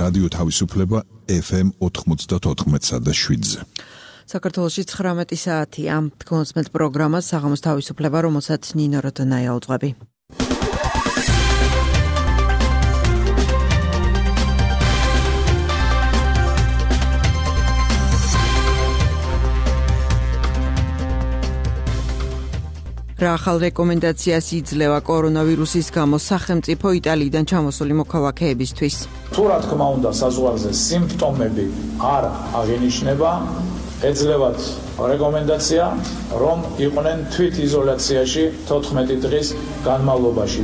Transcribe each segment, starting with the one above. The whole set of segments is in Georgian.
რადიო თავისუფლება FM 94.7-ზე. საქართველოში 19 საათია. კონსმეთ პროგრამა საღამოს თავისუფლება, რომელსაც ნინო როდონაია უძღვები. რა ახალ რეკომენდაციას იძლევა კორონავირუსის გამო სახელმწიფო იტალიიდან ჩამოსული მოქალაქეებისთვის? თუ რა თქმა უნდა საზღვარზე სიმპტომები არ აღინიშნება, ეძლევათ რეკომენდაცია, რომ იყვნენ თვითიზოლაციაში 14 დღის განმავლობაში.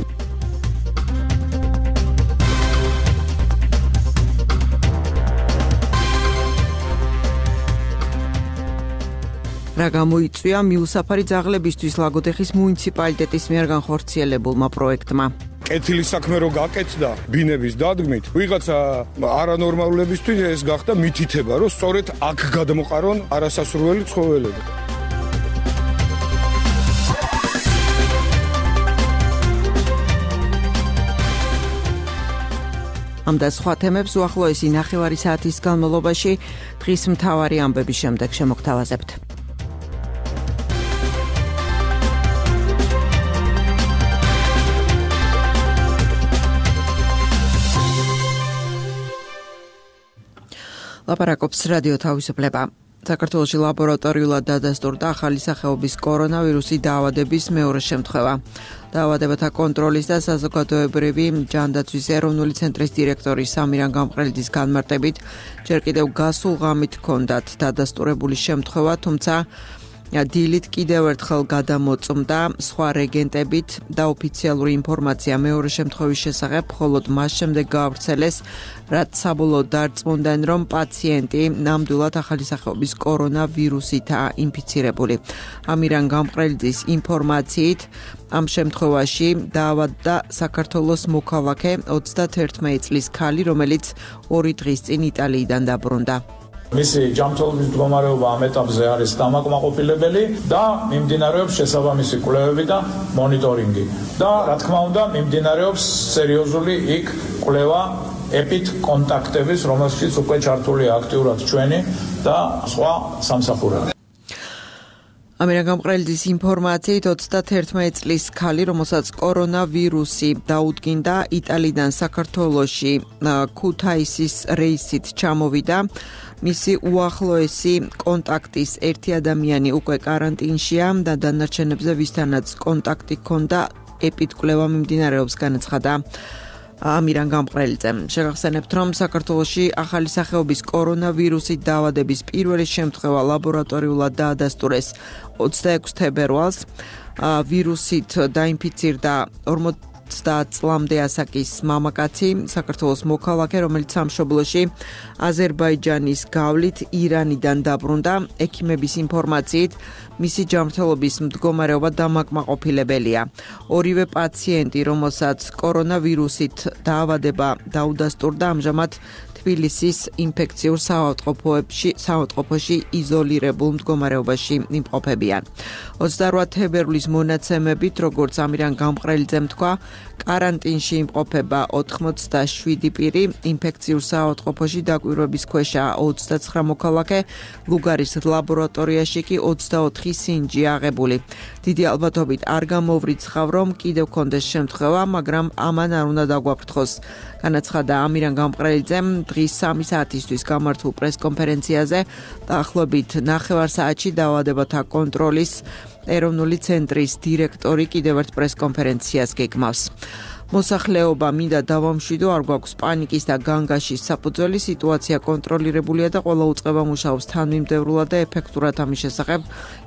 რა გამოიწვია მიუსაფარი ძაღლებისთვის ლაგოდეხის მუნიციპალიტეტის მიერ განხორციელებულმა პროექტმა? კეთილი საქმე რო გაკეთდა ბინების დადგმით, ვიღაცა არანორმალებისთვის ეს გახდა მითითება, რომ სწორედ აქ გადმოყარონ არასასურველი ცხოველები. ამ და სხვა თემებს უახლოესი ნახევარი საათის განმავლობაში დღის მთავარი ამბების შემდეგ შემოგთავაზებთ. ლაპარაკობს რადიო თავისუფლება. საქართველოში ლაბორატორიულად დადასტურდა ახალი სახეობის კორონავირუსი დაავადების მეორე შემთხვევა. დაავადებათა კონტროლის და საზოგადოებრივი ჯანდაცვის ეროვნული ცენტრის დირექტორი სამირან გამყრელიძის განმარტებით, ჯერ კიდევ გასულ ღამით ჰქონდათ დადასტურებული შემთხვევა, თუმცა დილით კიდევ ერთხელ გადამოწმდა სხვა რეგენტებით და ოფიციალური ინფორმაცია მეორე შემთხვევის შესახებ მხოლოდ მას შემდეგ გაავრცელეს, რაც საბოლოოდ დარწმუნდნენ, რომ პაციენტი ნამდვილად ახალი სახეობის კორონავირუსითაა ინფიცირებული. ამირან გამყრელიძის ინფორმაციით, ამ შემთხვევაში დაავადდა საქართველოს მოქალაქე 31 წლის ქალი, რომელიც 2 დღის წინ იტალიიდან დაბრუნდა. მისი ჯანმრთელობის მდგომარეობა ამ ეტაპზე არის დამაკმაყოფილებელი და მიმდინარეობს შესაბამისი კვლევები და მონიტორინგი. და რა თქმა უნდა, მიმდინარეობს სერიოზული იქ კვლევა ეპიდ კონტაქტების, რომელშიც უკვე ჩართულია აქტიურად ჩვენი და სხვა სამსახურები. ამირან გამყრელიძის ინფორმაციით 31 წლის ქალი, რომელსაც კორონავირუსი დაუდგინდა, იტალიდან საქართველოში ქუთაისის რეისით ჩამოვიდა. მისი უახლოესი კონტაქტის ერთი ადამიანი უკვე კარანტინშია და დანარჩენებზე ვისთანაც კონტაქტი ჰქონდა, ეპიდკვლევა მიმდინარეობს, განაცხადა ამირან გამყრელიძემ. შეგახსენებთ, რომ საქართველოში ახალი სახეობის კორონავირუსით დაავადების პირველი შემთხვევა ლაბორატორიულად დაადასტურეს 26 თებერვალს. ვირუსით დაინფიცირდა 50 წლამდე ასაკის მამაკაცი, საქართველოს მოქალაქე, რომელიც სამშობლოში აზერბაიჯანის გავლით ირანიდან დაბრუნდა. ექიმების ინფორმაციით, მისი ჯანმრთელობის მდგომარეობა დამაკმაყოფილებელია. ორივე პაციენტი, რომელსაც კორონავირუსით დაავადება დაუდასტურდა, ამჟამად თბილისის ინფექციურ საავადმყოფოში იზოლირებულ მდგომარეობაში იმყოფებიან. 28 თებერვლის მონაცემებით, როგორც ამირან გამყრელიძემ თქვა, კარანტინში იმყოფება 87 პირი, ინფექციურ საავადმყოფოში დაკვირვების ქვეშაა 29 მოქალაქე, ლუგარის ლაბორატორიაში კი 24 სინჯი აღებული. დიდი ალბათობით არ გამოვრიცხავ, რომ კიდევ კონდეს შემთხვევა, მაგრამ ამან არ უნდა დაგვაფრთხოს. განაცხადა ამირან გამყრელიძემ დღის 3 საათისთვის გამართულ პრესკონფერენციაზე, დაახლოებით ნახევარ საათში დაავადებათა კონტროლის ეროვნული ცენტრის დირექტორი კიდევ ერთ პრესკონფერენციას გეგმავს. მოსახლეობა მინდა დავამშვიდო, არ გვაქვს პანიკის და განგაშის საფუძველი, სიტუაცია კონტროლირებულია და ყველა უწყება მუშაობს თანმიმდევრულად და ეფექტურად. ამის შესახებ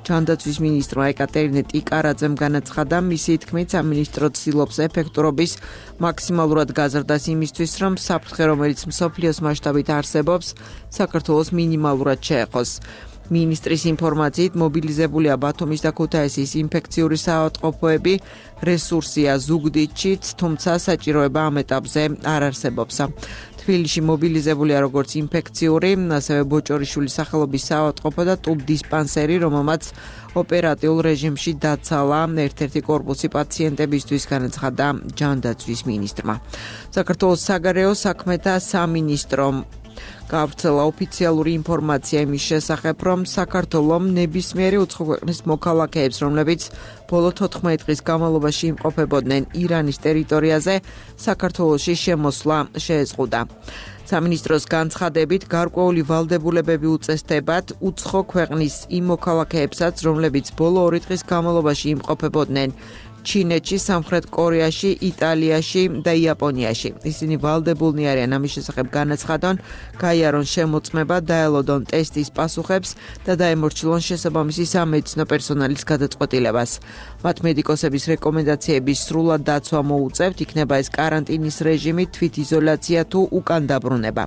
ჯანდაცვის მინისტრმა ეკატერინე ტიკარაძემ განაცხადა, მისი თქმით, სამინისტრო ცდილობს ეფექტურობის მაქსიმალურად გაზრდას იმისთვის, რომ საფრთხე, რომელიც მსოფლიოს მასშტაბით არსებობს, საქართველოს მინიმალურად შეეხოს. მინისტრის ინფორმაციით, მობილიზებულია ბათუმის და ქუთაისის ინფექციური საავადმყოფოები, რესურსია ზუგდიდშიც, თუმცა საჭიროება ამ ეტაპზე არ არსებობს. თბილისში მობილიზებულია როგორც ინფექციური, ასევე ბოჭორიშვილის სახელობის საავადმყოფო და ტუბ დისპანსერი, რომელმაც ოპერატიულ რეჟიმში დაცალა ერთ-ერთი კორპუსი პაციენტებისთვის, განაცხადა ჯანდაცვის მინისტრმა. საქართველოს საგარეო საქმეთა სამინისტრომ გავრცელა ოფიციალური ინფორმაცია იმის შესახებ, რომ საქართველოს ნებისმიერი უცხო ქვეყნის მოქალაქეებს, რომლებიც ბოლო 14 დღის განმავლობაში იმყოფებოდნენ ირანის ტერიტორიაზე, საქართველოში შემოსვლა შეეზღუდა. სამინისტროს განცხადებით, გარკვეული ვალდებულებები უწესდებათ უცხო ქვეყნის იმ მოქალაქეებსაც, რომლებიც ბოლო 2 დღის განმავლობაში იმყოფებოდნენ ჩინეთში, სამხრეთ კორეაში, იტალიაში და იაპონიაში. ისინი ვალდებულნი არიან ამის შესახებ განაცხადონ, გაიარონ შემოწმება, დაელოდონ ტესტის პასუხებს და დაემორჩილონ შესაბამისი სამედიცინო პერსონალის გადაწყვეტილებას. მათ მედიკოსების რეკომენდაციების სრულად დაცვა მოუწევთ, იქნება ეს კარანტინის რეჟიმი, თვითიზოლაცია თუ უკან დაბრუნება.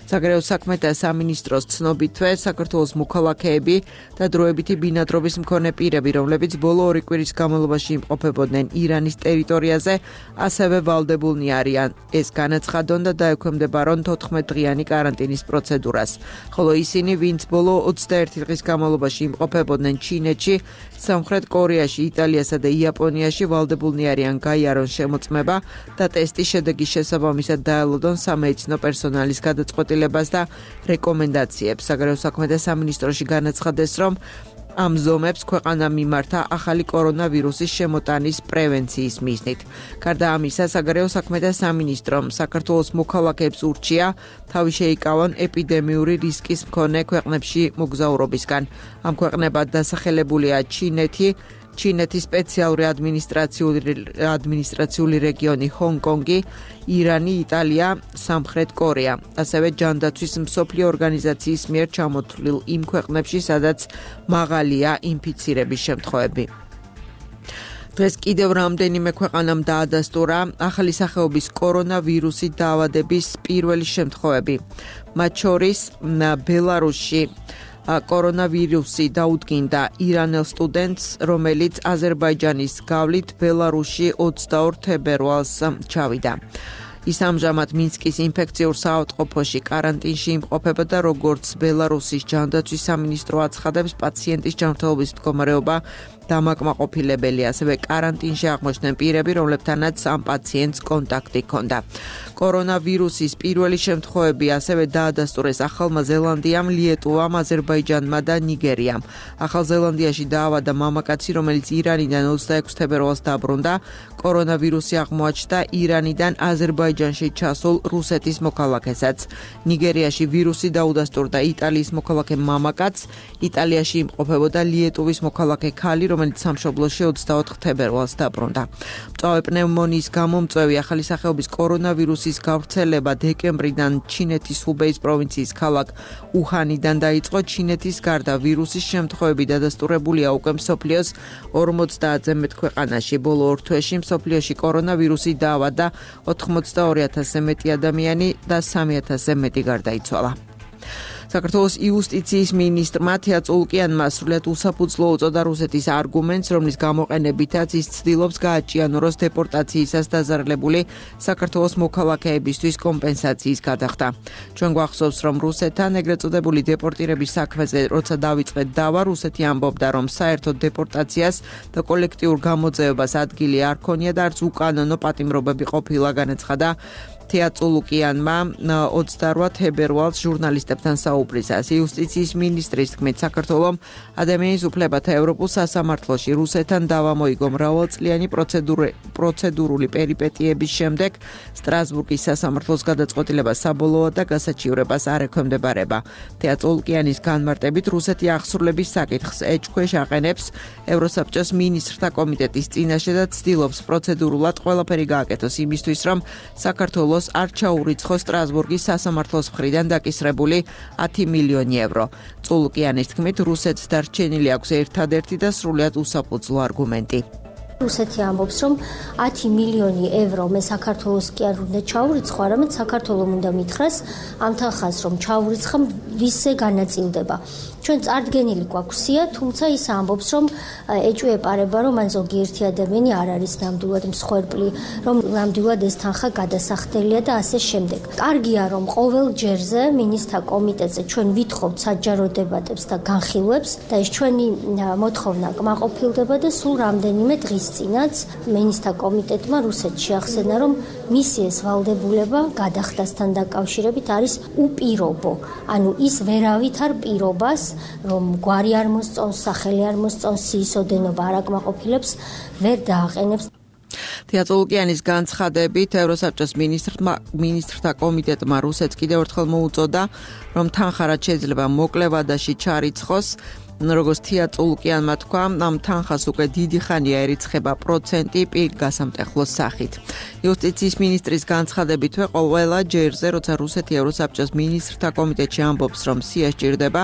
საგარეო საქმეთა სამინისტროს ცნობითვე, საქართველოს მოქალაქეები და დროებითი ბინადრობის მქონე პირები, რომლებიც ბოლო 2 კვირის განმავლობაში იმყოფებოდნენ ირანის ტერიტორიაზე, ასევე ვალდებულნი არიან ეს განაცხადონ და დაექვემდებარონ 14 დღიანი კარანტინის პროცედურას. ხოლო ისინი, ვინც ბოლო 21 დღის განმავლობაში იმყოფებოდნენ ჩინეთში, სამხრეთ კორეაში, იტალიასა და იაპონიაში, ვალდებულნი არიან გაიარონ შემოწმება და ტესტის შედეგის შესაბამისად დაელოდონ სამედიცინო პერსონალის გადაწყვეტილებას და რეკომენდაციებს. საგარეო საქმეთა სამინისტროში განაცხადეს, რომ ამ ზომებს ქვეყანა მიმართა ახალი კორონავირუსის შემოტანის პრევენციის მიზნით. გარდა ამისა, საგარეო საქმეთა სამინისტრომ საქართველოს მოქალაქეებს ურჩია თავი შეიკავონ ეპიდემიური რისკის მქონე ქვეყნებში მოგზაურობისგან. ამ ქვეყნებად დასახელებულია ჩინეთის სპეციალური ადმინისტრაციული რეგიონი ჰონგ-კონგი, ირანი, იტალია, სამხრეთ კორეა. ასევე ჯანდაცვის მსოფლიო ორგანიზაციის მიერ ჩამოთვლილ იმ ქვეყნებში, სადაც მაღალია ინფიცირების შემთხვევები. დღეს კიდევ რამდენიმე ქვეყანამ დაადასტურა ახალი სახეობის კორონავირუსით დაავადების პირველი შემთხვევები. მათ შორის ბელარუსში კორონავირუსი დაუდგინდა ირანელ სტუდენტს, რომელიც აზერბაიჯანის გავლით ბელარუსში 22 თებერვალს ჩავიდა. ის ამჟამად მინსკის ინფექციურ საავადმყოფოში კარანტინში იმყოფება და როგორც ბელარუსის ჯანდაცვის სამინისტრო აცხადებს, პაციენტის ჯანმრთელობის მდგომარეობა დამაკმაყოფილებელია, ასევე კარანტინში აღმოჩნდნენ პირები, რომლებთანაც ამ პაციენტს კონტაქტი ჰქონდა. კორონავირუსის პირველი შემთხვევები ასევე დაადასტურეს ახალმა ზელანდიამ, ლიეტუვამ, აზერბაიჯანმა და ნიგერიამ. ახალ ზელანდიაში დაავადდა მამაკაცი, რომელიც ირანიდან 26 თებერვალს დაბრუნდა. კორონავირუსი აღმოაჩნდა ირანიდან აზერბაიჯანში ჩასულ რუსეთის მოქალაქესაც. ნიგერიაში ვირუსი დაუდასტურდა იტალიის მოქალაქე მამაკაცს, იტალიაში იმყოფებოდა ლიეტუვის მოქალაქე ქალი, რომელიც სამშობლოში 24 თებერვალს დაბრუნდა. მწვავე პნევმონიის გამო მწვევი ახალი სახეობის კორონავირუსის გავრცელება დეკემბრიდან ჩინეთის ჰუბეის პროვინციის ქალაქ უჰანიდან დაიწყო. ჩინეთის გარდა ვირუსის შემთხვევები დადასტურებულია უკვე მსოფლიოს 50-ზე მეტ ქვეყანაში. ბოლო 2 თვეში მსოფლიოში კორონავირუსი დაავადდა 82,000-ზე მეტი ადამიანი და 3,000-ზე მეტი გარდაიცვალა. საქართველოს იუსტიციის მინისტრმა თეა წულკიანმა სრულიად უსაფუძვლო უწოდა რუსეთის არგუმენტს, რომლის გამოყენებითაც ის ცდილობს გააჭიანუროს დეპორტაციისას დაზარალებული საქართველოს მოქალაქეებისთვის კომპენსაციის გადახდა. ჩვენ გვახსოვს, რომ რუსეთთან ეგრეთ წოდებული დეპორტირების საქმეზე როცა დავიწყეთ დავა, რუსეთი ამბობდა, რომ საერთოდ დეპორტაციას და კოლექტიურ გამოძევებას ადგილი არ ქონია და არც უკანონო პატიმრობები ყოფილა, განაცხადა თეა წულუკიანმა 28 თებერვალს ჟურნალისტებთან საუბრისას. იუსტიციის მინისტრის თქმით, საქართველოს ადამიანის უფლებათა ევროპულ სასამართლოში რუსეთთან დავა მოიგო მრავალწლიანი პროცედურული პერიპეტიების შემდეგ. სტრასბურგის სასამართლოს გადაწყვეტილება საბოლოოა და გასაჩივრებას არ ექვემდებარება. თეა წულუკიანის განმარტებით, რუსეთი აღსრულების საკითხს ეჭქვეშ აყენებს ევროსაბჭოს მინისტრთა კომიტეტის წინაშე და ცდილობს პროცედურულად ყველაფერი გააკეთოს იმისთვის, რომ საქართველოს არ ჩაურიცხოს სტრასბურგის სასამართლოს მხრიდან დაკისრებული 10 მილიონი ევრო. წულუკიანის თქმით, რუსეთს დარჩენილი აქვს ერთადერთი და სრულიად უსაფუძვლო არგუმენტი. რუსეთი ამბობს, რომ 10 მილიონი ევრო მე საქართველოს კი არ უნდა ჩაურიცხო, არამედ საქართველოს უნდა მითხრას ამ თანხას, რომ ჩაურიცხა ვისზე განაწილდება. ჩვენ წარდგენილი გვაქვს სია, თუმცა ის ამბობს, რომ ეჭვეპარება, რომ მან ზოგიერთი ადამიანი არ არის ნამდვილად მსხვერპლი, რომ ნამდვილად ეს თანხა გადასახდელია და ასე შემდეგ. კარგია, რომ ყოველ ჯერზე მინისტრთა კომიტეტზე ჩვენ ვითხოვთ საჯარო დებატებს და განხილვებს და ეს ჩვენი მოთხოვნა კმაყოფილდება და სულ რამდენიმე დღის წინაც მინისტრთა კომიტეტმა რუსეთში ახსენა, რომ მისი ეს ვალდებულება გადახდასთან დაკავშირებით არის უპირობო. ანუ ის ვერავით არ პირობას, რომ გვარი არ მოსწონს, სახელი არ მოსწონს, სიისოდენობა არ აკმაყოფილებს, ვერ დააყენებს. თეატოლუკიანის განცხადებით ევროსაბჭოს მინისტრთა კომიტეტმა რუსეთს კიდევ ერთხელ მოუწოდა, რომ თანხა რაც შეიძლება მოკლე ვადაში ჩარიცხოს. როგორც თეატოლუკიანმა თქვა, ამ თანხას უკვე დიდი ხანია ერიცხება პროცენტი პირ გასამტეხლოს სახით. იუსტიციის მინისტრის განცხადებითვე ყველა ჯერზე, როცა რუსეთი ევროსაბჭოს მინისტრთა კომიტეტში ამბობს, რომ სია სჭირდება,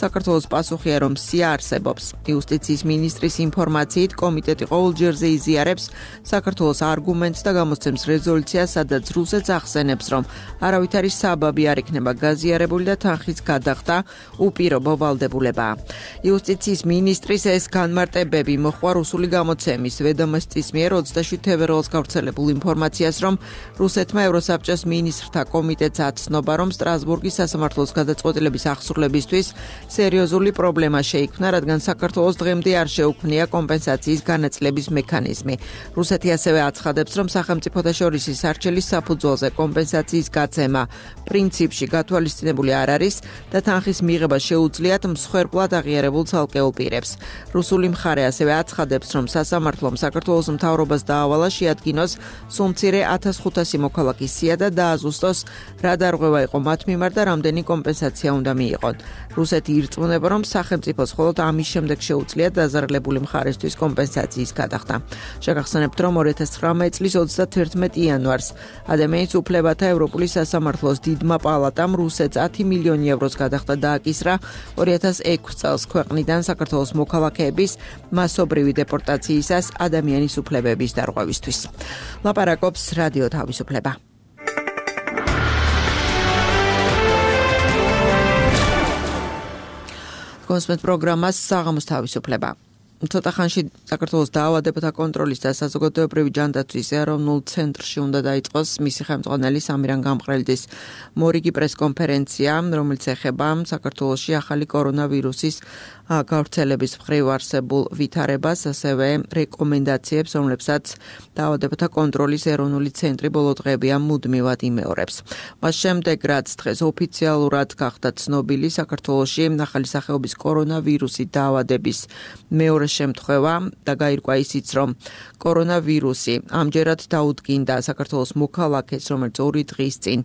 საქართველოს პასუხია, რომ სია არსებობს. იუსტიციის მინისტრის ინფორმაციით, კომიტეტი ყოველ ჯერზე იზიარებს საქართველოს არგუმენტს და გამოსცემს რეზოლუციას, სადაც რუსეთს ახსენებს, რომ არავითარი საბაბი არ იქნება გაზიარებული და თანხის გადახდა უპირობო ვალდებულებაა. იუსტიციის მინისტრის ეს განმარტებები მოჰყვა რუსული გამოცემის ვედომოსტის მიერ 27 თებერვალს გავრცელებულ ინფორმაციას, რომ რუსეთმა ევროსაბჭოს მინისტრთა კომიტეტს აცნობა, რომ სტრასბურგის სასამართლოს გადაწყვეტილების აღსრულებისთვის სერიოზული პრობლემა შეიქმნა, რადგან საქართველოს დღემდე არ შეუქმნია კომპენსაციის განაწილების მექანიზმი. რუსეთი ასევე აცხადებს, რომ სახელმწიფოთა შორის სარჩელის საფუძველზე კომპენსაციის გაცემა პრინციპში გათვალისწინებული არ არის და თანხის მიღება შეუძლიათ მსხვერპლად აღიარებულ ცალკეულ პირებს. რუსული მხარე ასევე აცხადებს, რომ სასამართლომ საქართველოს მთავრობას დაავალა შეადგინოს სულ მცირე 1500 მოქალაქის სია და დააზუსტოს რა დარღვევა იყო მათ მიმართ და რამდენი კომპენსაცია უნდა მიიღონ. რუსეთი ირწმუნება, რომ სახელმწიფოს მხოლოდ ამის შემდეგ შეუძლია დაზარალებული მხარესთვის კომპენსაციის გადახდა. შეგახსენებთ, რომ 2019 წლის 31 იანვარს ადამიანის უფლებათა ევროპული სასამართლოს დიდმა პალატამ რუსეთს 10 მილიონი ევროს გადახდა დააკისრა 2006 წელს ქვეყნიდან საქართველოს მოქალაქეების მასობრივი დეპორტაციისას ადამიანის უფლებების დარღვევისთვის. ლაპარაკობს რადიო თავისუფლება. კონსმეთ პროგრამას საღამოს თავისუფლება. ცოტა ხანში საქართველოს დაავადებათა კონტროლის და საზოგადოებრივი ჯანდაცვის ეროვნულ ცენტრში უნდა დაიწყოს მისი ხელმძღვანელი სამირან გამყრელიძის მორიგი პრესკონფერენცია, რომელიც ეხება საქართველოში ახალი კორონავირუსის გავრცელების მხრივ არსებულ ვითარებას, ასევე რეკომენდაციებს, რომლებსაც დაავადებათა კონტროლის ეროვნული ცენტრი ბოლო დღეებია მუდმივად იმეორებს. მას შემდეგ, რაც დღეს ოფიციალურად გახდა ცნობილი საქართველოში ახალი სახეობის კორონავირუსი დაავადების მეორე შემთხვევა და გაირკვა ისიც, რომ კორონავირუსი ამჯერად დაუდგინდა საქართველოს მოქალაქეს, რომელიც 2 დღის წინ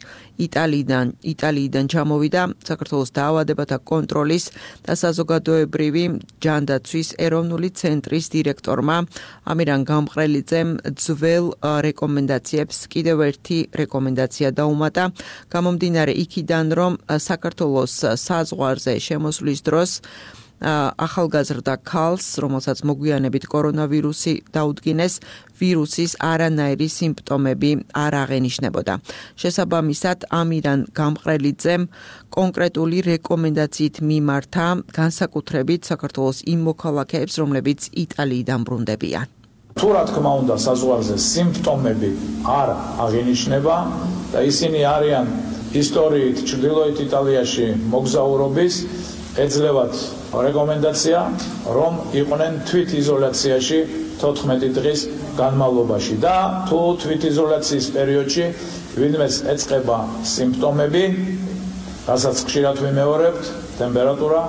იტალიიდან ჩამოვიდა, საქართველოს დაავადებათა კონტროლის და საზოგადოებრივი ჯანდაცვის ეროვნული ცენტრის დირექტორმა ამირან გამყრელიძემ ძველ რეკომენდაციებს კიდევ ერთი რეკომენდაცია დაუმატა, გამომდინარე იქიდან, რომ საქართველოს საზღვარზე შემოსვლის დროს ახალგაზრდა ქალს, რომელსაც მოგვიანებით კორონავირუსი დაუდგინეს, ვირუსის არანაირი სიმპტომები არ აღენიშნებოდა. შესაბამისად, ამირან გამყრელიძემ კონკრეტული რეკომენდაციით მიმართა განსაკუთრებით საქართველოს იმ მოქალაქეებს, რომლებიც იტალიიდან ბრუნდებიან. თუ რა თქმა უნდა საზღვარზე სიმპტომები არ აღენიშნება და ისინი არიან ისტორიით ჩრდილოეთ იტალიაში მოგზაურობის, ეძლევათ რეკომენდაცია, რომ იყვნენ თვითიზოლაციაში 14 დღის განმავლობაში და თუ თვითიზოლაციის პერიოდში ვინმეს ეწყება სიმპტომები, რასაც ხშირად ვიმეორებთ, ტემპერატურა,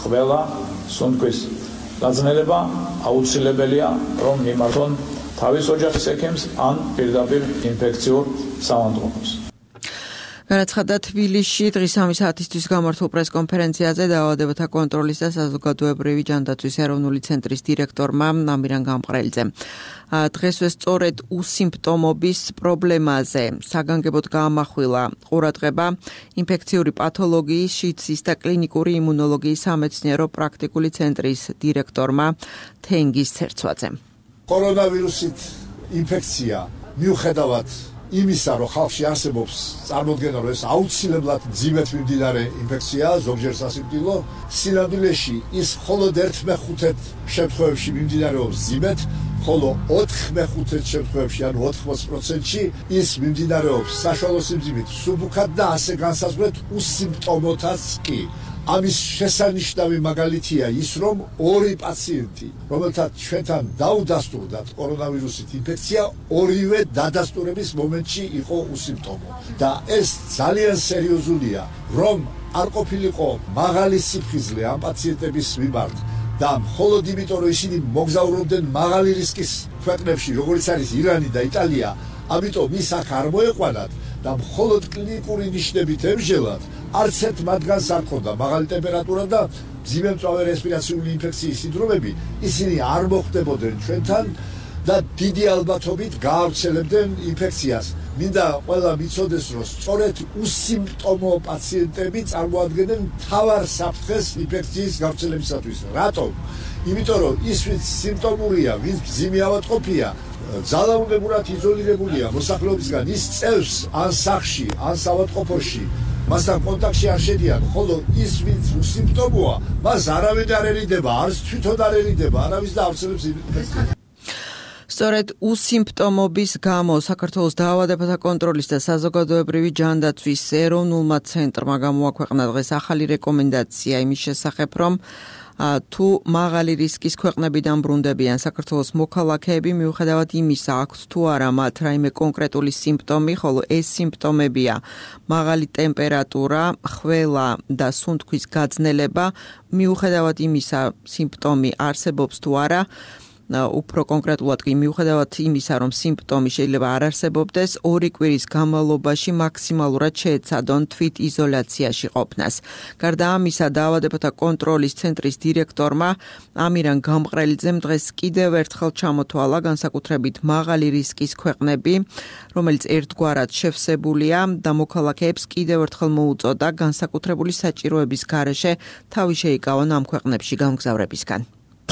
ხველა, სუნთქვის გაძნელება, აუცილებელია, რომ მიმართონ თავის ოჯახის ექიმს ან პირდაპირ ინფექციურ საავადმყოფოს. განაცხადა თბილისში დღის 3 საათისთვის გამართულ პრესკონფერენციაზე დაავადებათა კონტროლის და საზოგადოებრივი ჯანდაცვის ეროვნული ცენტრის დირექტორმა ამირან გამყრელიძემ. დღესვე სწორედ უსიმპტომობის პრობლემაზე საგანგებოდ გაამახვილა ყურადღება ინფექციური პათოლოგიის, შიდსის და კლინიკური იმუნოლოგიის სამეცნიერო პრაქტიკული ცენტრის დირექტორმა თენგიზ ცერცვაძემ. კორონავირუსით ინფექცია მიუხედავად იმისა, რომ ხალხში არსებობს წარმოდგენა, რომ ეს აუცილებლად მძიმედ მიმდინარე ინფექციაა, ზოგჯერ სასიკვდილო, სინამდვილეში ის მხოლოდ 1/5 შემთხვევებში მიმდინარეობს მძიმედ, ხოლო 4/5 შემთხვევებში, ანუ 80%-ში ის მიმდინარეობს საშუალო სიმძიმით, სუბუქად და ასე განსაზღვრეთ უსიმპტომოთაც კი. ამის შესანიშნავი მაგალითია ის, რომ 2 პაციენტი, რომელთაც ჩვენთან დაუდასტურდათ კორონავირუსით ინფექცია, ორივე დადასტურების მომენტში იყო უსიმპტომო. და ეს ძალიან სერიოზულია, რომ არ ყოფილიყო მაღალი სიფხიზლე ამ პაციენტების მიმართ და მხოლოდ იმიტომ, რომ ისინი მოგზაურობდნენ მაღალი რისკის ქვეყნებში, როგორც არის ირანი და იტალია, ამიტომ ის აქ არ მოეყვანათ და მხოლოდ კლინიკური ნიშნებით ემჟელათ. არც ერთ მათგანს არ ქონდა მაღალი ტემპერატურა და მძიმე რესპირაციული ინფექციის სინდრომები, ისინი არ მოხვდებოდნენ ჩვენთან და დიდი ალბათობით გაავრცელებდნენ ინფექციას. მინდა ყველა მიცოდეს, რომ სწორედ უსიმპტომო პაციენტები წარმოადგენენ მთავარ საფრთხეს ინფექციის გავრცელებისათვის. რატომ? იმიტომ რომ ის ვინც სიმპტომურია, ვინც მძიმე ავადმყოფია, ძალაუნებურად იზოლირებულია მოსახლეობისგან, ის წევს ან სახლში, ან საავადმყოფოში, მასთან კონტაქტში არ შედიან, ხოლო ის ვინც უსიმპტომოა, მას არავინ არ ერიდება, არც თვითონ არ ერიდება, არავის და ავრცელებს ინფექციას. სწორედ უსიმპტომობის გამო საქართველოს დაავადებათა კონტროლის და საზოგადოებრივი ჯანდაცვის ეროვნულმა ცენტრმა გამოაქვეყნა დღეს ახალი რეკომენდაცია იმის შესახებ, რომ თუ მაღალი რისკის ქვეყნებიდან ბრუნდებიან საქართველოს მოქალაქეები, მიუხედავად იმისა, აქვთ თუ არა მათ რაიმე კონკრეტული სიმპტომი, ხოლო ეს სიმპტომებია მაღალი ტემპერატურა, ხველა და სუნთქვის გაძნელება, მიუხედავად იმისა, სიმპტომი არსებობს თუ არა, უფრო კონკრეტულად კი მიუხედავად იმისა, რომ სიმპტომი შეიძლება არ არსებობდეს, 2 კვირის განმავლობაში მაქსიმალურად შეეცადონ თვით იზოლაციაში ყოფნას. გარდა ამისა, დაავადებათა კონტროლის ცენტრის დირექტორმა ამირან გამყრელიძემ დღეს კიდევ ერთხელ ჩამოთვალა განსაკუთრებით მაღალი რისკის ქვეყნები, რომელიც ერთგვარად შევსებულია და მოქალაქეებს კიდევ ერთხელ მოუწოდა განსაკუთრებული საჭიროების გარეშე თავი შეიკავონ ამ ქვეყნებში გამგზავრებისგან.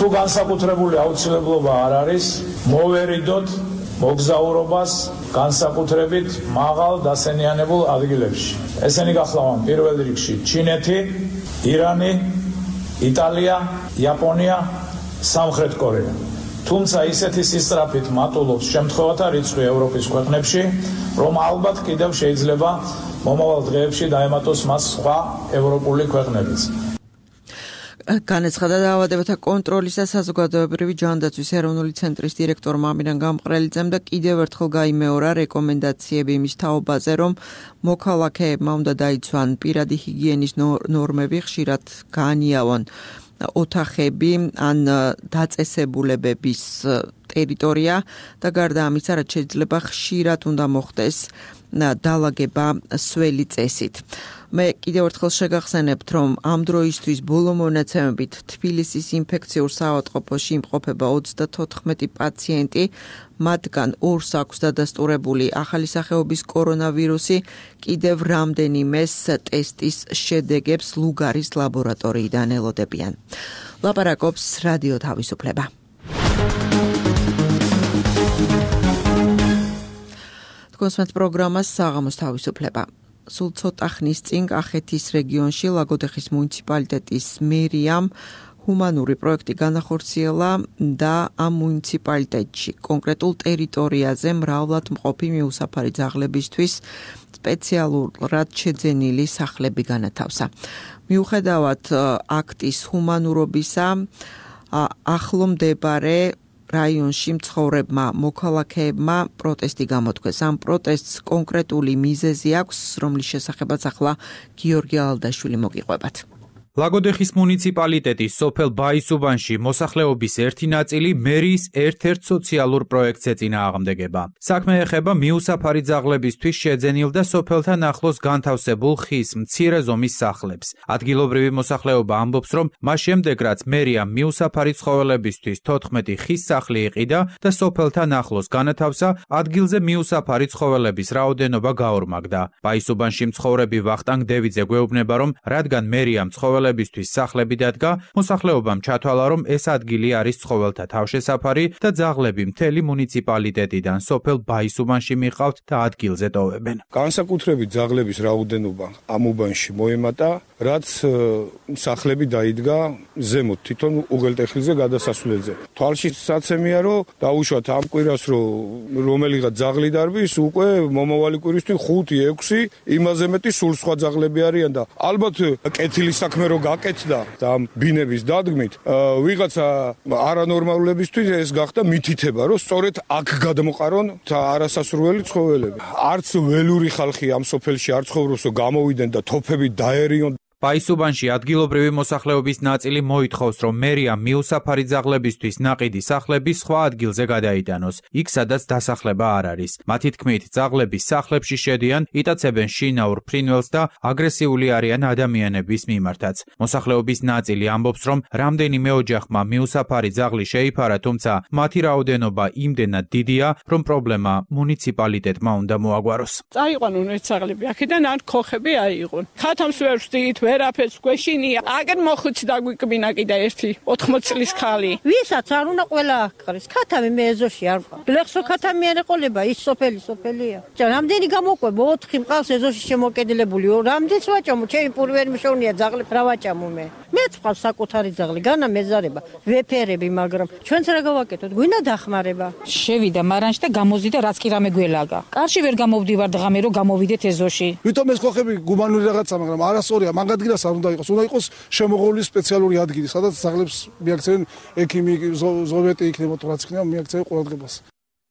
თუ განსაკუთრებული აუცილებლობა არ არის, მოვერიდოთ მოგზაურობას განსაკუთრებით მაღალ დასენიანებულ ადგილებში. ესენი გახლავენ პირველ რიგში ჩინეთი, ირანი, იტალია, იაპონია, სამხრეთ კორეა. თუმცა ისეთი სისწრაფით მატულობს შემთხვევათა რიცხვი ევროპის ქვეყნებში, რომ ალბათ კიდევ შეიძლება მომავალ დღეებში დაემატოს მას სხვა ევროპული ქვეყნებიც. განაცხადა დაავადებათა კონტროლის და საზოგადოებრივი ჯანდაცვის ეროვნული ცენტრის დირექტორმა ამირან გამყრელიძემ და კიდევ ერთხელ გაიმეორა რეკომენდაციები იმის თაობაზე, რომ მოქალაქეებმა უნდა დაიცვან პირადი ჰიგიენის ნორმები, ხშირად გაანიავონ ოთახები ან დაწესებულებების ტერიტორია და გარდა ამისა, რაც შეიძლება ხშირად უნდა მოხდეს დალაგება სველი წესით. მე კიდევ ერთხელ შეგახსენებთ, რომ ამ დროისთვის ბოლო მონაცემებით თბილისის ინფექციურ საავადმყოფოში იმყოფება 34 პაციენტი, მათგან 2-ს აქვს დადასტურებული ახალი სახეობის კორონავირუსი, კიდევ რამდენიმეს ტესტის შედეგებს ლუგარის ლაბორატორიიდან ელოდებიან. ლაპარაკობს რადიო თავისუფლება. კონსმეთ პროგრამას საღამოს თავისუფლება. სულ ცოტა ხნის წინ კახეთის რეგიონში ლაგოდეხის მუნიციპალიტეტის მერიამ ჰუმანური პროექტი განახორციელა და ამ მუნიციპალიტეტში კონკრეტულ ტერიტორიაზე მრავლად მყოფი მიუსაფარი ძაღლებისთვის სპეციალურად შეძენილი სახლები განათავსა. მიუხედავად აქტის ჰუმანურობისა, ახლო მდებარე რაიონში მცხოვრებმა მოქალაქეებმა პროტესტი გამოთქვეს. ამ პროტესტს კონკრეტული მიზეზი აქვს, რომლის შესახებაც ახლა გიორგი ალდაშვილი მოგიყვებათ. ლაგოდეხის მუნიციპალიტეტის სოფელ ბაისუბანში მოსახლეობის ერთი ნაწილი მერიის ერთ-ერთ სოციალურ პროექტს ეწინააღმდეგება. საქმე ეხება მიუსაფარი ძაღლებისთვის შეძენილ და სოფელთან ახლოს განთავსებულ ხის მცირე ზომის სახლებს. ადგილობრივი მოსახლეობა ამბობს, რომ მას შემდეგ რაც მერია მიუსაფარი ცხოველებისთვის 14 ხის სახლი იყიდა და სოფელთან ახლოს განათავსა, ადგილზე მიუსაფარი ცხოველების რაოდენობა გაორმაგდა. ბაისუბანში მცხოვრები ვახტანგ დევიძე გვეუბნება, რომ რადგან მერიამ ცხოველების ცხოველებისთვის სახლები დადგა, მოსახლეობამ ჩათვალა, რომ ეს ადგილი არის ცხოველთა თავშესაფარი და ძაღლები მთელი მუნიციპალიტეტიდან სოფელ ბაისუბანში მიყავთ და ადგილზე ტოვებენ. განსაკუთრებით ძაღლების რაოდენობა ამ უბანში მოემატა, რაც სახლები დაიდგა ზემოთ თვითონ უღელტეხილზე გადასასვლელზე. თვალში საცემია, რომ დაუშვათ ამ კვირას რომელიღაც ძაღლი დარბის, უკვე მომავალი კვირისთვის 5-6 იმაზე მეტი სულ სხვა ძაღლები არიან და ალბათ კეთილი საქმე რო გაკეთდა და ამ ბინების დადგმით ვიღაცა არანორმალულებისთვის ეს გახდა მითითება, რომ სწორედ აქ გადმოყარონ არასასურველი ცხოველები. არც ველური ხალხი ამ სოფელში არ ცხოვრობს, რომ გამოვიდნენ და თოფები დაერიონ. ბაისუბანში ადგილობრივი მოსახლეობის ნაწილი მოითხოვს, რომ მერია მიუსაფარი ძაღლებისთვის ნაყიდი სახლები სხვა ადგილზე გადაიტანოს, იქ სადაც დასახლება არ არის. მათი თქმით, ძაღლები სახლებში შედიან, იტაცებენ შინაურ ფრინველს და აგრესიული არიან ადამიანების მიმართაც. მოსახლეობის ნაწილი ამბობს, რომ რამდენიმე ოჯახმა მიუსაფარი ძაღლი შეიფარა, თუმცა მათი რაოდენობა იმდენად დიდია, რომ პრობლემა მუნიციპალიტეტმა უნდა მოაგვაროს. წაიყვანონ ეს ძაღლები, აქედან არ ქოხები აიღონ. ხათამს ვერ ვსდით, ვერაფერს გვეშინია. აგერ მოხუცი დაგვიკბინა კიდე ერთი 80 წლის ხალი. ვისაც არ უნდა ყველა აღყრეს. ქათამი მე ეზოში არ ყავს. ლეხსო ქათამი არ ეყოლება, ის სოფელია. რამდენი გამოყვება 4 მყავს ეზოში შემოკედლებული. რამდენს ვაჭამო, ჩემი პური ვერ მიშოვნია ძაღლი, რა ვაჭამო მე. მეც ყავს საკუთარი ძაღლი, განა მეზარება, ვეფერები, მაგრამ ჩვენც რა გავაკეთოთ? გვინდა დახმარება. შევიდა მარანში და გამოზიდა, რაც კი რამე გველაგა. კარში ვერ გამოვდივარ დღამე რომ გამოვიდეთ ეზოში. ვითომ ეს ხოხები გუმანური რაღაცა, მაგრამ არასწორია, მაგ ადგილას არ უნდა იყოს. უნდა იყოს შემოღული სპეციალური ადგილი, სადაც ძაღლებს მიაქცევენ ექიმი, ზოვეტი იქნება თუ რაც იქნება, მიაქცევენ ყურადღებას.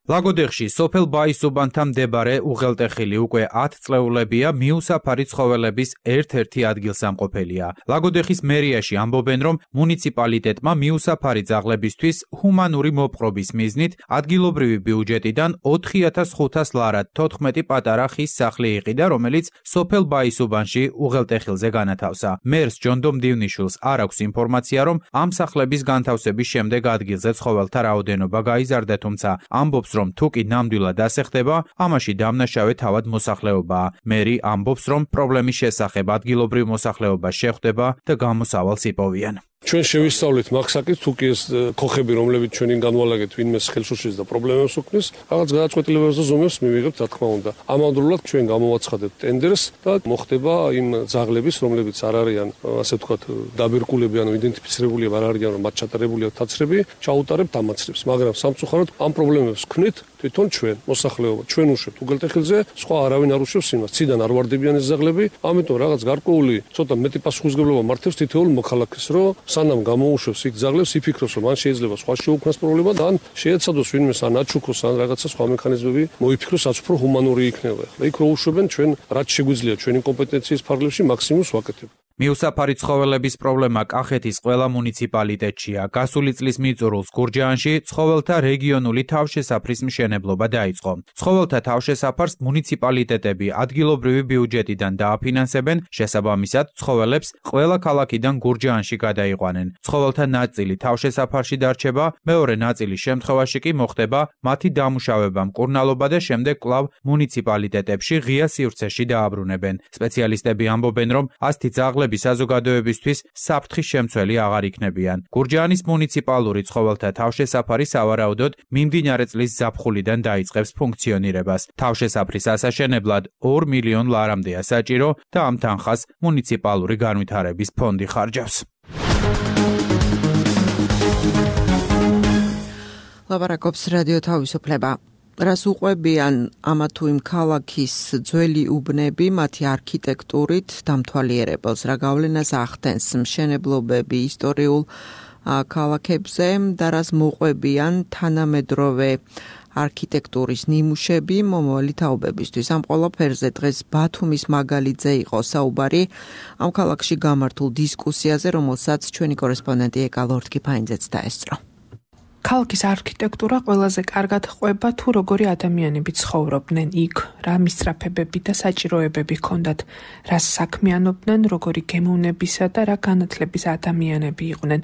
ლაგოდეხში სოფელ ბაისუბანთან მდებარე უღელტეხილი უკვე 10 წლეულებია მიუსაფარი ცხოველების ერთ-ერთი ადგილსამყოფელია. ლაგოდეხის მერიაში ამბობენ, რომ მუნიციპალიტეტმა მიუსაფარი ძაღლებისთვის ჰუმანური მოპყრობის მიზნით ადგილობრივი ბიუჯეტიდან 4500 ლარად 14 პატარა ხის სახლი იყიდა, რომელიც სოფელ ბაისუბანში უღელტეხილზე განათავსა. მერს ჯონდომ დივნიშვილს არ აქვს ინფორმაცია, რომ ამ სახლების განთავსების შემდეგ ადგილზე ცხოველთა რაოდენობა გაიზარდა, თუმცა ამბობს, რომ თუ კი ნამდვილად ასეხდება, ამაში დამნაშავე თავად მოსახლეობაა. მერი ამბობს, რომ პრობლემის შესახებ ადგილობრივ მოსახლეობას შეხვდება და გამოსავალს იპოვიან. ჩვენ შევისწავლეთ მაგსაკით, თუ კი ეს ქოხები, რომლებიც ჩვენին განვალაგეთ, ვინმეს ხელს უშლის და პრობლემებს უქმნის, რაღაც გადაწყვეტილებებს და ზომებს მივიღებთ, რა თქმა უნდა. ამავდროულად ჩვენ გამოვაცხადებთ ტენდერს და მოხდება იმ ძაღლების, რომლებიც არ არიან, ასე ვთქვათ, დაბერკულები, ანუ იდენტიფიცირებულები არ არიან, რომ მათ ჩატარებულია თაცრები, ჩაუტარებთ ამაცრებს. მაგრამ სამწუხაროდ ამ პრობლემებს ვქმნით თვითონ ჩვენ, მოსახლეობა, ჩვენ უშვებთ უღელტეხილზე, სხვა არავინ არ უშვებს იმას. ციდან არ ვარდებიან ეს ძაღლები, ამიტომ რაღაც გარკვეული ცოტა მეტი პასუხისმგებლობა მართებს თითოეულ მოქალაქეს, რომ სანამ გამოუშვებს იქ ძაღლებს, იფიქროს, რომ ან შეიძლება სხვა შეუქმნას პრობლემა და ან შეეცადოს ვინმეს ან აჩუქოს, ან რაღაცა სხვა მექანიზმები მოიფიქროს, რაც უფრო ჰუმანური იქნება. იქ რო უშვებენ, ჩვენ რაც შეგვიძლია ჩვენი კომპეტენციის ფარგლებში მაქსიმუმს ვაკეთებთ. მიუსაფარი ცხოველების პრობლემა კახეთის ყველა მუნიციპალიტეტშია. გასული წლის მიწურულს გურჯაანში ცხოველთა რეგიონული თავშესაფრის მშენებლობა დაიწყო. ცხოველთა თავშესაფარს მუნიციპალიტეტები ადგილობრივი ბიუჯეტიდან დააფინანსებენ, შესაბამისად ცხოველებს ყველა ქალაქიდან გურჯაანში გადაიყვანენ. ცხოველთა ნაწილი თავშესაფარში დარჩება, მეორე ნაწილის შემთხვევაში კი მოხდება მათი დამუშავება, მკურნალობა და შემდეგ კვლავ მუნიციპალიტეტებში ღია სივრცეში დააბრუნებენ. სპეციალისტები ამბობენ, რომ ასეთი ძაღლები საზოგადოებისთვის საფრთხის შემცველი აღარ იქნებიან. გურჯაანის მუნიციპალური ცხოველთა თავშესაფარი სავარაუდოდ მიმდინარე წლის ზაფხულიდან დაიწყებს ფუნქციონირებას. თავშესაფრის ასაშენებლად 2 მილიონ ლარამდეა საჭირო და ამ თანხას მუნიციპალური განვითარების ფონდი ხარჯავს. ლაპარაკობს რადიო თავისუფლება. რას უყვებიან ამა თუ იმ ქალაქის ძველი უბნები მათი არქიტექტურით დამთვალიერებელს, რა გავლენას ახდენს მშენებლობები ისტორიულ ქალაქებზე და რას მოყვებიან თანამედროვე არქიტექტურის ნიმუშები მომავალი თაობებისთვის. ამ ყველაფერზე დღეს ბათუმის მაგალითზე იყო საუბარი ამ ქალაქში გამართულ დისკუსიაზე, რომელსაც ჩვენი კორესპონდენტი ეკა ლორდ-კიფაინძეც დაესწრო. ქალაქის არქიტექტურა ყველაზე კარგად ყვება თუ როგორი ადამიანები ცხოვრობდნენ იქ, რა მისწრაფებები და საჭიროებები ჰქონდათ, რას საქმიანობდნენ, როგორი გემოვნებისა და რა განათლების ადამიანები იყვნენ,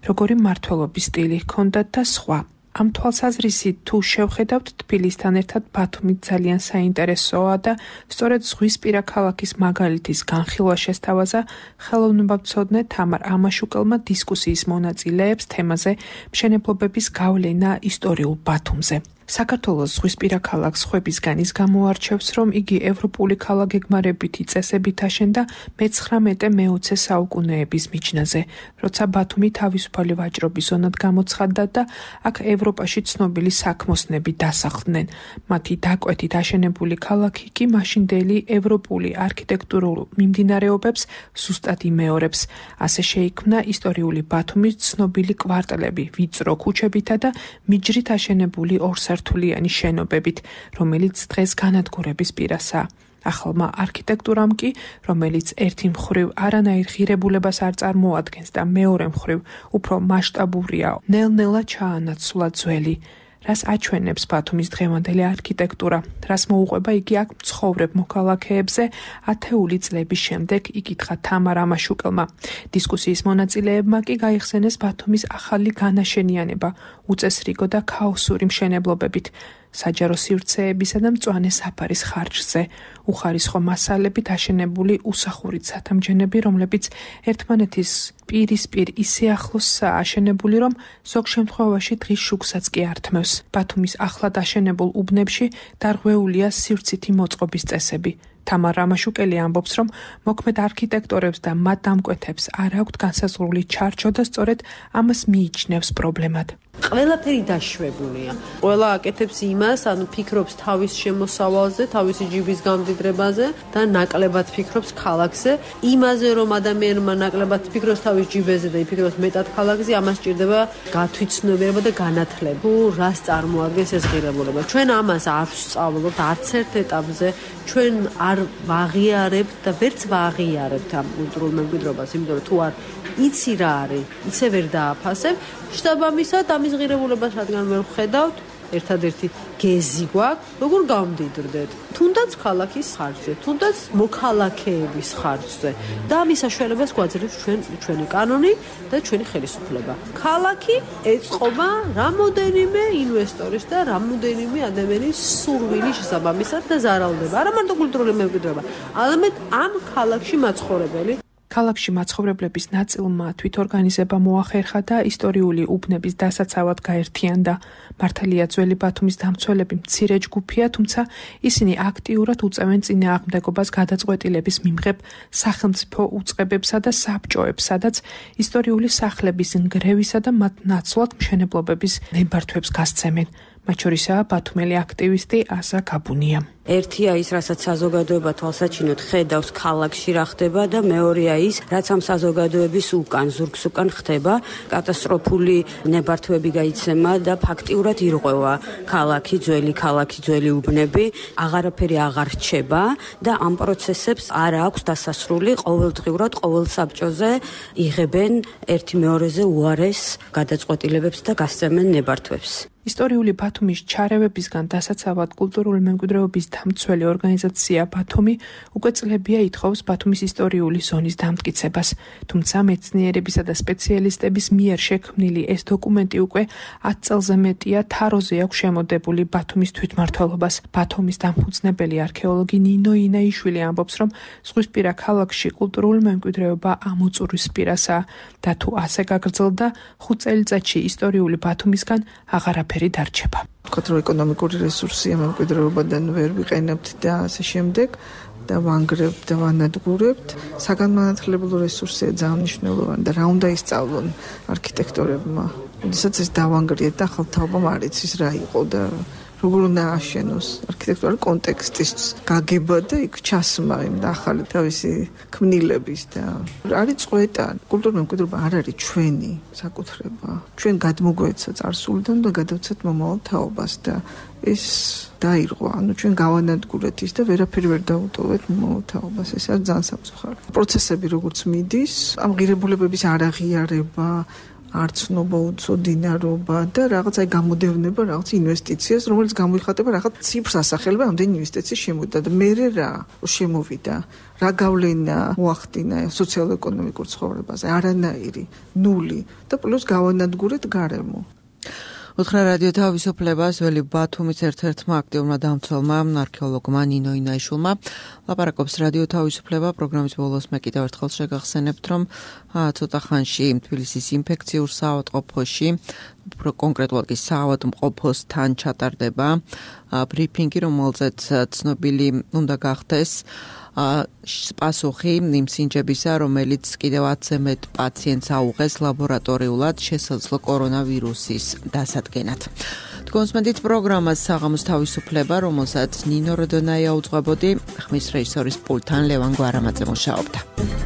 როგორი მმართველობის სტილი ჰქონდათ და სხვა. ამ თვალსაზრისით თუ შევხედავთ თბილისთან ერთად ბათუმი ძალიან საინტერესოა და სწორედ ზღვისპირა ქალაქის მაგალითის განხილვა შესთავაზა ხელოვნებაცოდნე თამარ ამაშუკელმა დისკუსიის მონაწილეებს თემაზე მშენებლობების გავლენა ისტორიულ ბათუმზე. საქართველოს ზღვისპირა ქალაქს ხვებისგან ის გამოარჩევს, რომ იგი ევროპული ქალაქგეგმარებითი წესებით აშენდა მე-19-მე-20 საუკუნეების მიჯნაზე, როცა ბათუმი თავისუფალი ვაჭრობის ზონად გამოცხადდა და აქ ევროპაში ცნობილი საქმოსნები დასახლდნენ. მათი დაკვეთით აშენებული ქალაქი კი მაშინდელი ევროპული არქიტექტურულ მიმდინარეობებს ზუსტად იმეორებს. ასე შეიქმნა ისტორიული ბათუმის ცნობილი კვარტალები, ვიწრო ქუჩებითა და მიჯრით აშენებული ორსართულიანი შენობებით, რომელიც დღეს განადგურების პირასაა. ახალმა არქიტექტურამ კი, რომელიც ერთი მხრივ არანაირ ღირებულებას არ წარმოადგენს და მეორე მხრივ უფრო მასშტაბურია, ნელ-ნელა ჩაანაცვლა ძველი. რას აჩვენებს ბათუმის დღევანდელი არქიტექტურა, რას მოუყვება იგი აქ მცხოვრებ მოქალაქეებზე ათეული წლების შემდეგ, იკითხა თამარ ამაშუკელმა. დისკუსიის მონაწილეებმა კი გაიხსენეს ბათუმის ახალი განაშენიანება, უწესრიგო და ქაოსური მშენებლობებით, საჯარო სივრცეებისა და მწვანე საფარის ხარჯზე, უხარისხო მასალებით აშენებული უსახურით სათამჯენები, რომლებიც ერთმანეთის პირისპირ ისე ახლოსაა აშენებული, რომ ზოგ შემთხვევაში დღის შუქსაც კი ართმევს. ბათუმის ახლად აშენებულ უბნებში დარღვეულია სივრცითი მოწყობის წესები. თამარ ამაშუკელი ამბობს, რომ მოქმედ არქიტექტორებს და მათ დამკვეთებს არ აქვთ განსაზღვრული ჩარჩო და სწორედ ამას მიიჩნევს პრობლემად. ყველაფერი დაშვებულია. ყველა აკეთებს იმას, ფიქრობს თავის შემოსავალზე, თავისი ჯიბის გამდიდრებაზე და ნაკლებად ფიქრობს ქალაქზე. იმაზე, რომ ადამიანმა ნაკლებად ფიქრობს თავის ჯიბეზე და იფიქროს მეტად ქალაქზე, ამას სჭირდება გათვითცნობიერება და განათლება. თუ რას წარმოადგენს ეს ღირებულება? ჩვენ ამას არ ვსწავლობთ არც ერთ ეტაპზე, ჩვენ არ ვაღიარებთ და ვერც ვაღიარებთ ამ კულტურულ მემკვიდრეობას, იმიტომ რომ თუ არ იცი რა არის, ისე ვერ დააფასებ. შტაბამისად ამის ღირებულებას რადგან ვერ ვხედავთ, ერთადერთი გეზი გვაქვს, როგორ გავმდიდრდეთ. თუნდაც ქალაქის ხარჯზე, თუნდაც მოქალაქეების ხარჯზე. და ამის საშუალებას გვაძლევს ჩვენი კანონი და ჩვენი ხელისუფლება. ქალაქი ეწყობა რამოდენიმე ინვესტორის და რამოდენიმე ადამიანის სურვილის შესაბამისად და ზარალდება. არა მარტო კულტურული მემკვიდრეობა, არამედ ამ ქალაქში მაცხოვრებელი. ქალაქში მაცხოვრებლების ნაწილმა თვითორგანიზება მოახერხა და ისტორიული უბნების დასაცავად გაერთიანდა. მართალია ძველი ბათუმის დამცველები მცირე ჯგუფია, თუმცა ისინი აქტიურად უწევენ წინააღმდეგობას გადაწყვეტილების მიმღებ სახელმწიფო უწყებებსა და საბჭოებს, სადაც ისტორიული სახლების ნგრევისა და მათ ნაცვლად მშენებლობების ნებართვებს გასცემენ. მათ შორისაა ბათუმელი აქტივისტი აზა გაბუნია. ერთია ის, რასაც საზოგადოება თვალსაჩინოდ ხედავს ქალაქში რა ხდება და მეორეა ის, რაც ამ საზოგადოების უკან, ზურგს უკან ხდება, კატასტროფული ნებართვები გაიცემა და ფაქტიურად ირღვევა ქალაქი, ძველი უბნები, აღარაფერი აღარ რჩება და ამ პროცესებს არ აქვს დასასრული, ყოველდღიურად ყოველ საბჭოზე იღებენ ერთი მეორეზე უარეს გადაწყვეტილებებს და გასცემენ ნებართვებს. ისტორიული ბათუმის ჩარევებისგან დასაცავად კულტურული მემკვიდრეობის დამცველი ორგანიზაცია ბათუმი უკვე წლებია ითხოვს ბათუმის ისტორიული ზონის დამტკიცებას. თუმცა მეცნიერებისა და სპეციალისტების მიერ შექმნილი ეს დოკუმენტი უკვე 10 წელზე მეტია თაროზე აქვს შემოდებული ბათუმის თვითმმართველობას. ბათუმის დამფუძნებელი არქეოლოგი ნინო ინაიშვილი ამბობს, რომ ზღვისპირა ქალაქში კულტურული მემკვიდრეობა ამოწურვის პირასაა და თუ ასე გაგრძელდა, 5 წელიწადში ისტორიული ბათუმისგან აღარაფერი დარჩება. ვთქვათ, რომ ეკონომიკური რესურსია მემკვიდრეობიდან ვერ ვიყენებთ და ასე შემდეგ და ვანგრებთ და ვანადგურებთ. საგანმანათლებლო რესურსია ძალიან მნიშვნელოვანი და რა უნდა ისწავლონ არქიტექტორებმა. როდესაც ეს დავანგრიეთ და ახალ თაობამ არ იცის რა იყო და როგორ უნდა აშენოს არქიტექტურული კონტექსტის გაგება და იქ ჩასმა იმ და ახალი თავისი ქმნილების და არის წვეტა. კულტურული მემკვიდრეობა არ არის ჩვენი საკუთრება. ჩვენ გადმოგვეცა წარსულიდან და გადავცეთ მომავალ თაობას და ეს დაირღვა. ჩვენ გავანადგურეთ ის და ვერაფერი ვერ დაუტოვეთ მომავალ თაობას. ეს არის ძალიან სამწუხარო. პროცესები როგორც მიდის, ამ ღირებულებების არაღიარება, არცნობა, უცოდინარობა და რაღაც გამოდევნება, რაღაც ინვესტიციას, რომელიც გამოიხატება რაღაც ციფრს ასახელება ამდენი ინვესტიციის შემოვიდა და მე რა შემოვიდა, რა გავლენა მოახდინა სოციალურ-ეკონომიკურ ცხოვრებაზე, არანაირი, ნული და პლუს გავანადგურეთ გარემო. უთხრა რადიო თავისუფლებას ველი ბათუმის ერთ-ერთმა აქტიურმა დამცველმა არქეოლოგმა ნინო ინაიშვილმა ლაპარაკობს რადიო თავისუფლება პროგრამის ბოლოს მე კიდევ ერთხელ შეგახსენებთ რომ ცოტა ხანში თბილისის ინფექციურ საავადმყოფოში კონკრეტულად კი საავადმყოფოსთან ჩატარდება ბრიფინგი რომელზეც ცნობილი უნდა გახდეს პასუხი იმ სინჯებისა, რომელიც კიდევ 10-ზე მეტ პაციენტს აუღეს ლაბორატორიულად შესაძლო კორონავირუსის დასადგენად. Თქვენსმენდით პროგრამას საღამოს თავისუფლება, რომელსაც ნინო როდონაია უძღვებოდი, ხმის რეჟისორის პულტთან ლევან გვარამაძე მუშაობდა.